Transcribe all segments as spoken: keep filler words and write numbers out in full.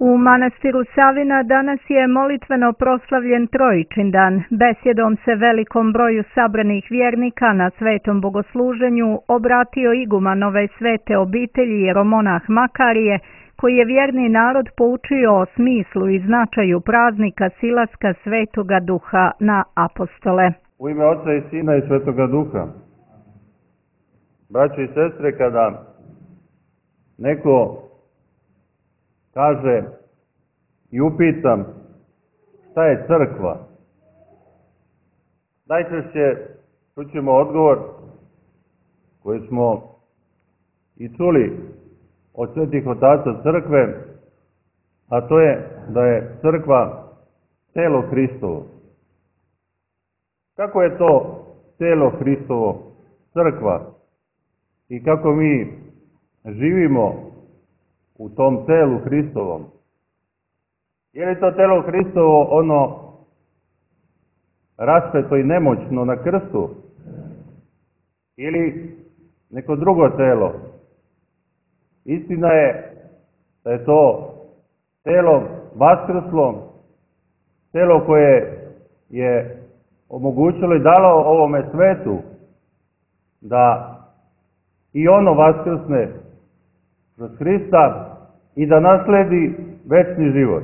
U manastiru Savina danas je molitveno proslavljen Trojičindan. Besjedom se velikom broju sabranih vjernika na svetom bogosluženju obratio iguman ove svete obitelji jeromonah Makarije, koji je vjerni narod poučio o smislu i značaju praznika silaska Svetoga Duha na apostole. U ime Oca i Sina i Svetoga Duha. Braćo i sestre, kada neko kaže i upitam šta je crkva, najčešće čućemo odgovor koji smo i čuli od svetih otaca crkve, a to je da je crkva telo Hristovo. Kako je to telo Hristovo crkva i kako mi živimo u tom telu Hristovom? Je li to telo Hristovo ono raspeto i nemoćno na krstu ili neko drugo telo? Istina je da je to telo vaskrslo, telo koje je omogućilo i dalo ovome svetu da i ono vaskrsne kroz Hrista i da nasledi večni život.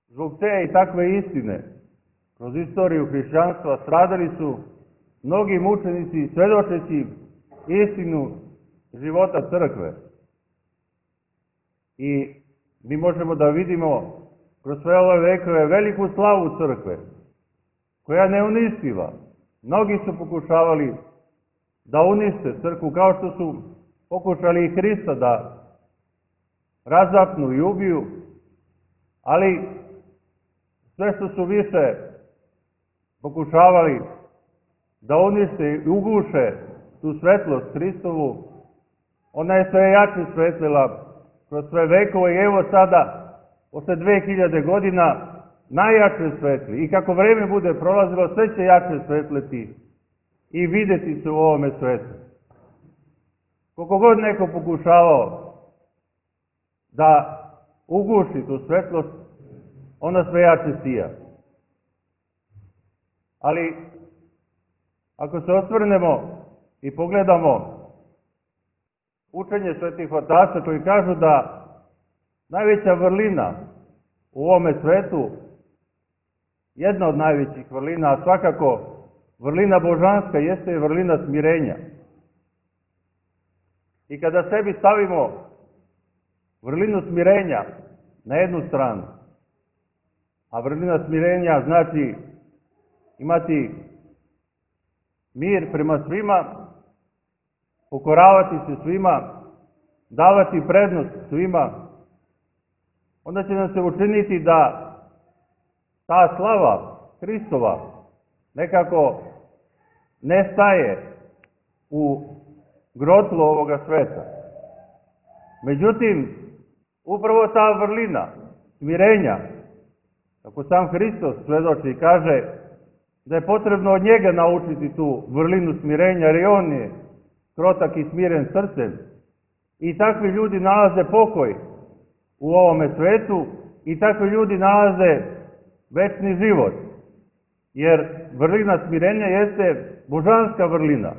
Zbog te i takve istine, kroz istoriju hrišćanstva stradali su mnogi mučenici svedočeći istinu života crkve. I mi možemo da vidimo kroz sve ove vekove veliku slavu crkve, koja ne uništiva. Mnogi su pokušavali da unište crkvu, kao što su pokušali i Hrista da razapnu i ubiju, ali sve što su više pokušavali da unište i uguše tu svetlost Hristovu, ona je sve jače svetlila kroz sve vekove i evo sada, posle dve hiljade godina, najjače svetli. I kako vreme bude prolazilo, sve će jače svetleti i videti se u ovome svetu. Koliko god neko pokušavao da uguši tu svetlost, ona sve jače sija. Ali, ako se osvrnemo i pogledamo učenje svetih otaca koji kažu da najveća vrlina u ovome svetu, jedna od najvećih vrlina, a svakako vrlina božanska, jeste vrlina smirenja. I kada sebi stavimo vrlinu smirenja na jednu stranu, a vrlina smirenja znači imati mir prema svima, pokoravati se svima, davati prednost svima, onda će nam se učiniti da ta slava Hristova nekako nestaje u grotlu ovoga sveta. Međutim, upravo ta vrlina smirenja, kako sam Hristos svedoči i kaže da je potrebno od njega naučiti tu vrlinu smirenja, jer i on je krotak i smiren srcem. I takvi ljudi nalaze pokoj u ovome svetu i takvi ljudi nalaze večni život. Jer vrlina smirenja jeste božanska vrlina.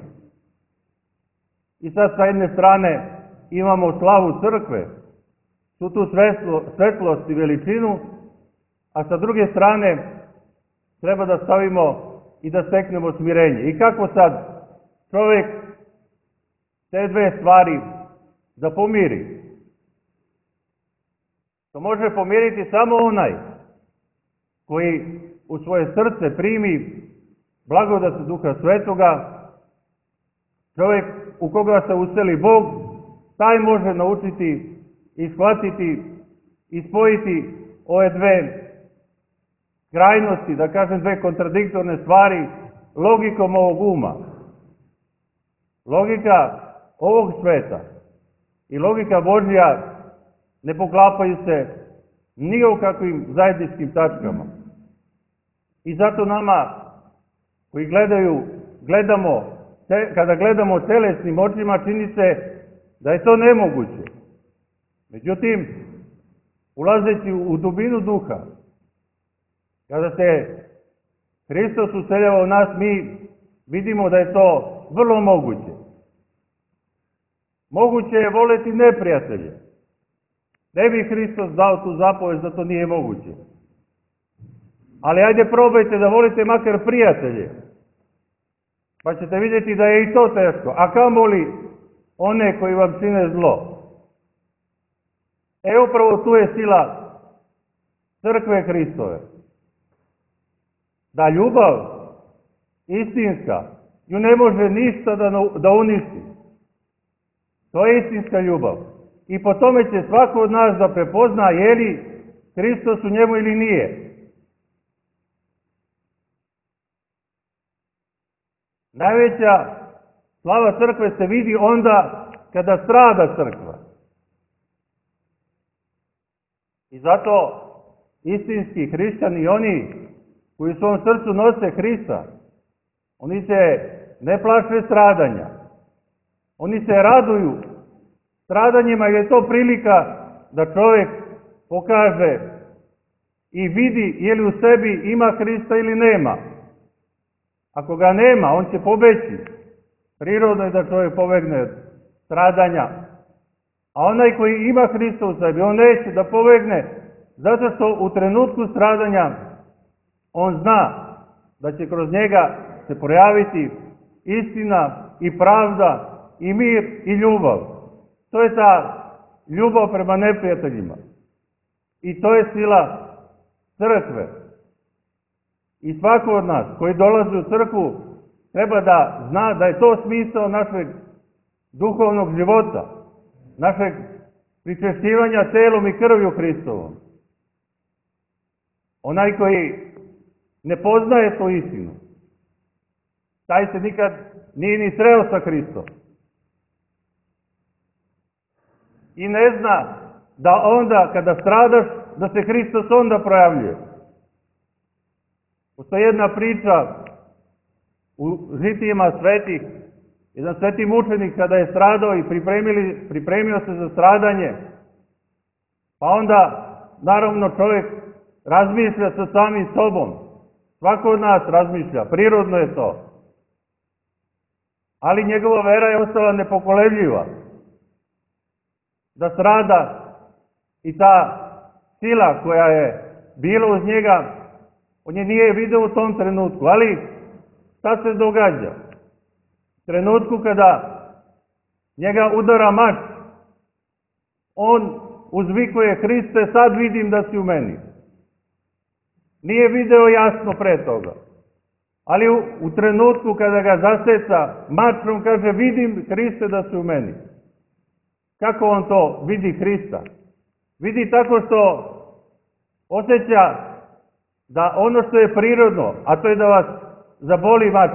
I sad sa jedne strane imamo slavu crkve, tu tu svetlo, svetlost i veličinu, a sa druge strane treba da stavimo i da steknemo smirenje. I kako sad čovjek te dve stvari da pomiri? To može pomiriti samo onaj koji u svoje srce primi blagodat Duha Svetoga. Čovjek u koga se useli Bog, taj može naučiti i shvatiti i spojiti ove dve krajnosti, da kažem dve kontradiktorne stvari, logikom ovog uma. Logika ovog sveta i logika Božja ne poklapaju se ni u kakvim zajedničkim tačkama. I zato nama koji gledaju, gledamo, te, kada gledamo telesnim očima, čini se da je to nemoguće. Međutim, ulazeći u dubinu duha, kada se Hristos useljava u nas, mi vidimo da je to vrlo moguće. Moguće je voleti neprijatelje. Ne bi Hristos dao tu zapovest da to nije moguće. Ali ajde probajte da volite makar prijatelje. Pa ćete vidjeti da je i to teško. A kamoli one koji vam čine zlo. E upravo tu je sila crkve Hristove. Da ljubav istinska ju ne može ništa da, da uništi. To je istinska ljubav. I po tome će svako od nas da prepozna je li Hristos u njemu ili nije. Najveća slava crkve se vidi onda kada strada crkva. I zato istinski hrišćani i oni koji u svom srcu nose Hrista, oni se ne plaše stradanja. Oni se raduju stradanjima jer je to prilika da čovjek pokaže i vidi je li u sebi ima Hrista ili nema. Ako ga nema, on će pobeći. Prirodno je da čovjek pobegne od stradanja. A onaj koji ima Hrista u sebi, on neće da pobegne, zato što u trenutku stradanja on zna da će kroz njega se projaviti istina i pravda i mir i ljubav. To je ta ljubav prema neprijateljima. I to je sila crkve. I svako od nas koji dolazi u crkvu treba da zna da je to smisao našeg duhovnog života, našeg pričešćivanja telom i krvju Hristovom. Onaj koji ne poznaje tu istinu, taj se nikad nije ni sreo sa Hristom. I ne zna da onda kada stradaš, da se Hristos onda projavljuje. Postoji jedna priča u žitijima svetih. Jedan sveti mučenik kada je stradao i pripremili, pripremio se za stradanje, pa onda naravno čovjek razmišlja sa samim sobom. Svako od nas razmišlja, prirodno je to. Ali njegova vera je ostala nepokolebljiva. Da strada i ta sila koja je bila uz njega, on je nije vidio u tom trenutku. Ali šta se događa? U trenutku kada njega udara mač, on uzvikuje: Hriste, sad vidim da si u meni. Nije video jasno pre toga. Ali u, u trenutku kada ga zaseca mačom, kaže: vidim, Hriste, da si u meni. Kako on to vidi Hrista? Vidi tako što osjeća da ono što je prirodno, a to je da vas zaboli mač,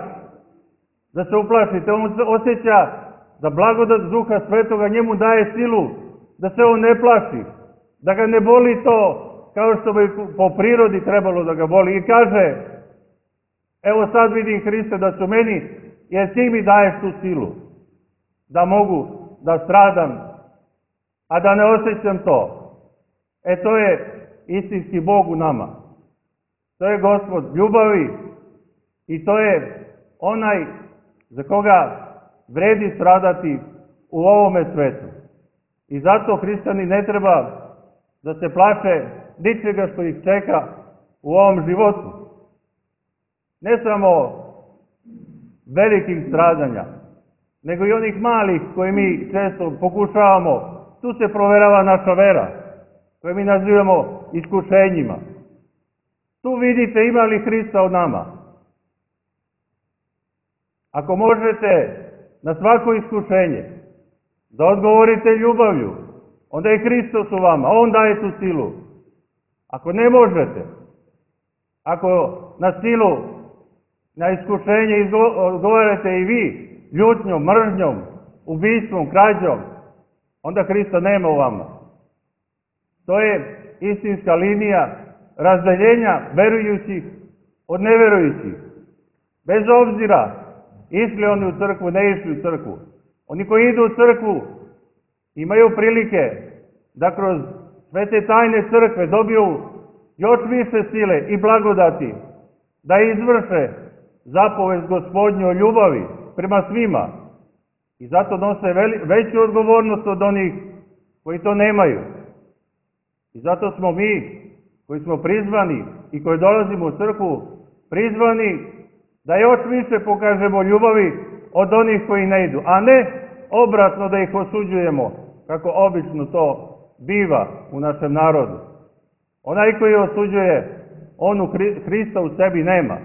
da se uplašite, on osjeća da blagodat Duha Svetoga njemu daje silu, da se on ne plaši, da ga ne boli to kao što bi po prirodi trebalo da ga boli. I kaže: evo sad vidim, Hriste, da su meni, jer ti mi daješ tu silu, da mogu da stradam, a da ne osjećam to. E to je istinski Bog u nama. To je Gospod ljubavi i to je onaj za koga vredi stradati u ovome svetu. I zato hrišćani ne treba da se plaše ničega što ih čeka u ovom životu. Ne samo velikih stradanja, nego i onih malih koje mi često pokušavamo. Tu se proverava naša vera, koje mi nazivamo iskušenjima. Tu vidite ima li Hrista od nama. Ako možete na svako iskušenje da odgovorite ljubavlju, onda je Hristos u vama, on daje tu silu. Ako ne možete, ako na silu, na iskušenje odgovarate i vi ljutnjom, mržnjom, ubistvom, krađom, onda Hrista nema u vama. To je istinska linija razdeljenja verujućih od neverujućih. Bez obzira išli oni u crkvu, ne išli u crkvu. Oni koji idu u crkvu imaju prilike da kroz svete tajne crkve dobiju još više sile i blagodati, da izvrše zapovest Gospodnju o ljubavi prema svima. I zato nose veli, veću odgovornost od onih koji to nemaju. I zato smo mi, koji smo prizvani i koji dolazimo u crkvu, prizvani da još više pokažemo ljubavi od onih koji ne idu, a ne obratno da ih osuđujemo, kako obično to biva u našem narodu. Onaj koji osuđuje, on u Hrista u sebi nema.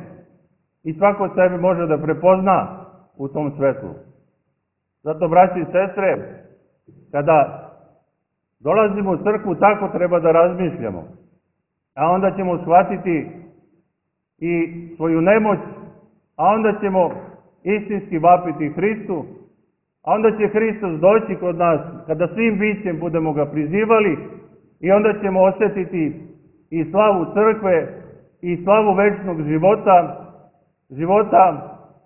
I svako sebe može da prepozna u tom svetlu. Zato, braći i sestre, kada dolazimo u crkvu, tako treba da razmišljamo. A onda ćemo shvatiti i svoju nemoć, a onda ćemo istinski vapiti Hristu, a onda će Hristos doći kod nas, kada svim bićem budemo ga prizivali, i onda ćemo osjetiti i slavu crkve, i slavu večnog života, života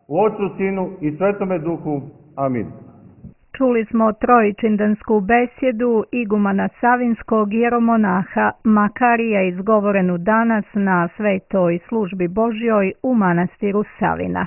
u Otcu, Sinu i Svetome Duhu. Amin. Čuli smo trojičindansku besjedu igumana Savinskog jeromonaha Makarija, izgovorenu danas na svetoj službi Božjoj u manastiru Savina.